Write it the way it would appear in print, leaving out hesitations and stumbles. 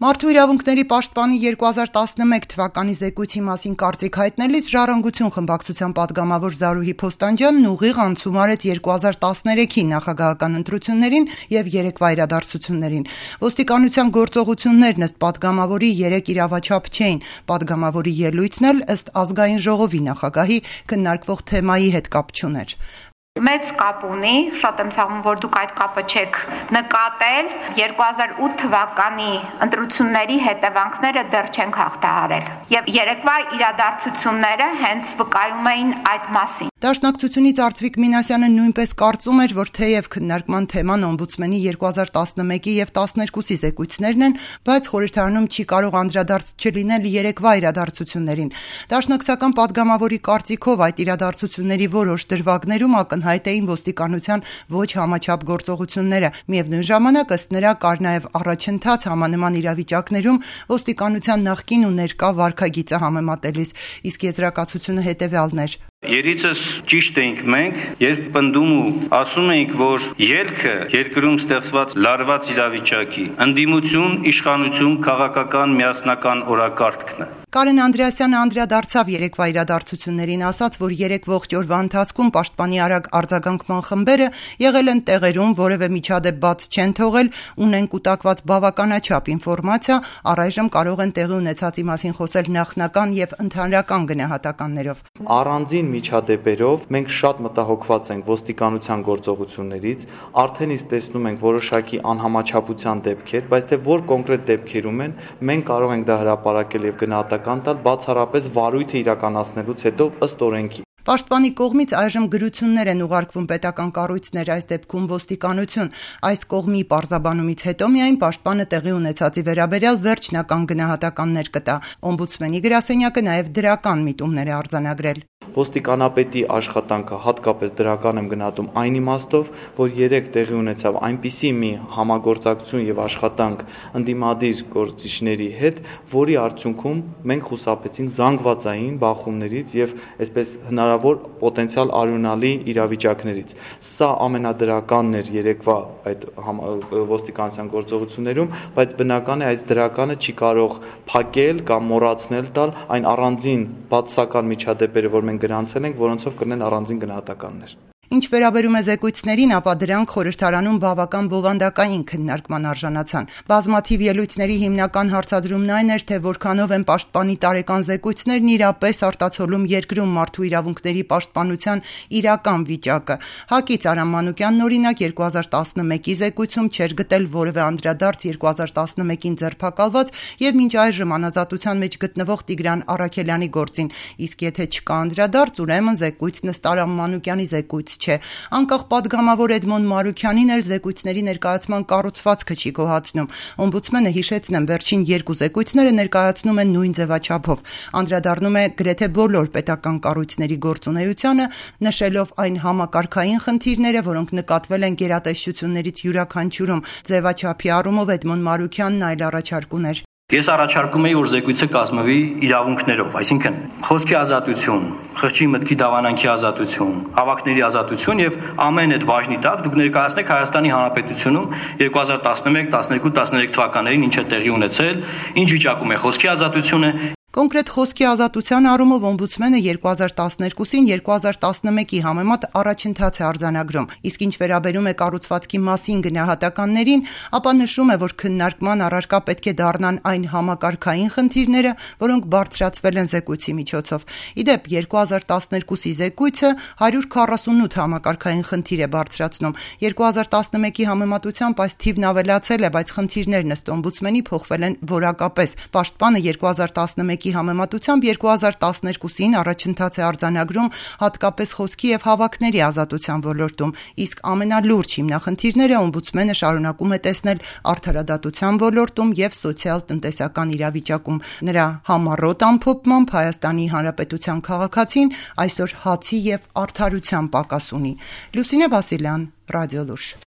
Մարդու իրավունքների պաշտպանի 2011 թվականի զեկույցի մասին կարծիք հայտնելիս «Ժառանգություն» խմբակցության պատգամավոր Զարուհի Փոստանջյանն ուղիղ անցում արեց 2013-ի նախագահական ընտրություններին եւ երեկվա իրադարձություններին։ Ոստիկանության գործողություններն ըստ պատգամավորի 3 իրավաչափ չէին, պատգամավորի ելույթն էլ ըստ Ազգային ժողովի նախագահի քննարկվող թեմայի հետ կապ չուներ։ Մեծ կապ ունի, շատ եմ ցավում, որ դուք այդ կապը չեք նկատել, 2008 թվականի ընտրությունների հետևանքները դեռ չենք հաղթահարել եւ երեկվա իրադարձությունները հենց վկայում էին այդ մասին։ Դաշնակցությունից Արծվիկ Մինասյանը նույնպես կարծում էր, որ թեև քննարկման թեման օմբուդսմենի 2011-ի եւ 12-ի զեկույցներն են, բայց խորհրդարանում չի կարող անդրադարձ չլինել երեկվա իրադարձություններին։ Դաշնակցական պատգամավորի կարծիքով այդ իրադարձությունների որոշ դրվագներում ակնհայտ էին ոստիկանության ոչ համաչափ գործողությունները։ Միևնույն ժամանակ ըստ նրա կար նաև առաջընթաց համանման իրավիճակներում ոստիկանության նախկին ու ներկա վարքագիծը համեմատելիս, իսկ եզրակացությունը հետևյալն էր. Երիցս ճիշտ էինք մենք, երբ պնդում ու ասում էինք, որ ելքը երկրում ստեղծված լարված իրավիճակի, ընդդիմություն, իշխանություն, քաղաքական միասնական օրակարգն է։ Կարեն Անդրեասյանը անդրադարձավ երեկվա իրադարձություններին, ասաց, որ 3 ողջ օրվա ընթացքում պաշտպանի արագ արձագանքման խմբերը եղել են տեղերում, որևէ միջադեպ բաց չեն թողել, ունեն կուտակված բավականաչափ ինֆորմացիա, առայժմ կարող են տեղի ունեցածի մասին խոսել նախնական եւ ընդհանրական գնահատականներով։ Առանձին միջադեպերով մենք շատ մտահոգված ենք ոստիկանության գործողություններից, արդեն իսկ տեսնում ենք որոշակի անհամաչափության դեպքեր, բայց թե որ կոնկրետ դեպքերում են, մենք կարող ենք դա հրապարակել եւ գնահատական տալ բացառապես վարույթը իրականացնելուց հետո ըստ օրենքի։ Պաշտպանի կողմից այժմ գրություններ են ուղարկվում պետական կառույցներ, այս դեպքում ոստիկանություն։ Այս կողմի պարզաբանումից հետո միայն պաշտպանը տեղի ունեցածի վերաբերյալ վերջնական գնահատականներ կտա։ Օմբուդսմենի գրասենյակը նաև դրական միտումներ է արձանագրել։ Ոստիկանապետի աշխատանքը հատկապես դրական եմ գնահատում այն իմաստով, որ 3 տեղի ունեցավ այնպիսի մի համագործակցություն եւ աշխատանք ընդդիմադիր գործիչների հետ, որի արդյունքում մենք խուսափեցինք զանգվածային բախումներից եւ այսպես հնարավոր պոտենցիալ արյունալի իրավիճակներից։ Սա ամենադրականն էր երեկվա այդ ոստիկանության գործողություններում, բայց բնական է այս դրականը չի կարող փակել կամ մոռացնել տալ այն առանձին բացասական միջադեպերը, որ մենք գրանցել ենք, որոնցով կրնեն առանձին գնահատականներ։ Ինչ վերաբերում է զեկույցներին, ապա դրանք խորհրդարանում բավական բովանդակային քննարկման արժանացան։ Բազմաթիվ ելույթների հիմնական հարցադրումն այն էր, թե որքանով են պաշտպանի տարեկան զեկույցներն իրապես արտացոլում երկրում մարդու իրավունքների պաշտպանության իրական վիճակը։ ՀԱԿ-ից Արամ Մանուկյանն օրինակ 2011-ի զեկույցում չէր գտել որևէ անդրադարձ 2011-ին ձերբակալված եւ մինչ այժմ անազատության մեջ գտնվող Տիգրան Առաքելյանի գործին, իսկ եթե չկա անդրադարձ, ուրեմն զեկույցն ըստ Արամ Մանուկյանի զեկույց չէ։ Անկախ պատգամավոր Էդմոն Մարուքյանին էլ զեկույցների ներկայացման կառուցվածքը չի գոհացնում։ Օմբուդսմենը, հիշեցնեմ, վերջին 2 զեկույցները ներկայացնում են նույն ձևաչափով։ Անդրադառնում է գրեթե բոլոր պետական կառույցների գործունեությանը, նշելով այն համակարգային խնդիրները, որոնք նկատվել են գերատեսչություններից յուրաքանչյուրում։ Ձևաչափի առումով Էդմոն Մարուքյանն այլ առաջարկ ուներ։ Ես առաջարկում եի, որ զեկույցը կազմվի իրավունքներով, այսինքն խոսքի ազատություն, խղճի մտքի դավանանքի ազատություն, հավաքների ազատություն եւ ամեն այդ բաժնի տակ դուք ներկայացնեք Հայաստանի Հանրապետությունում 2011, 12, 13 թվականներին ինչ է տեղի ունեցել, ինչ վիճակում է խոսքի ազատությունը։ Կոնկրետ խոսքի ազատության առումով օմբուդսմենը 2012-ին 2011-ի համեմատ առաջընթաց է արձանագրում, իսկ ինչ վերաբերում է կառուցվածքի մասին գնահատականներին, ապա նշում է, որ քննարկման առարկա պետք է դառնան այն համակարգային խնդիրները, որոնք բարձրացվել են զեկույցի միջոցով։ Իդեպ 2012-ի զեկույցը 148 համակարգային խնդիր է բարձրացնում։ 2011-ի համեմատությամբ այս թիվն ավելացել է, բայց խնդիրներն ըստ օմբուդսմենի փոխվել են որակապես։ Պաշտպանը 2011-ի համեմատությամբ 2012-ին առաջընթաց է արձանագրում հատկապես խոսքի եւ հավաքների ազատության ոլորտում, իսկ ամենալուրջ հիմնախնդիրները օմբուդսմենը շարունակում է տեսնել արդարադատության ոլորտում եւ սոցիալ-տնտեսական իրավիճակում։ Նրա համառոտ ամփոփմամբ Հայաստանի Հանրապետության քաղաքացին այսօր հացի եւ արդարության պակաս ունի։ Լուսինե Վասիլյան, Ռադիոլուր։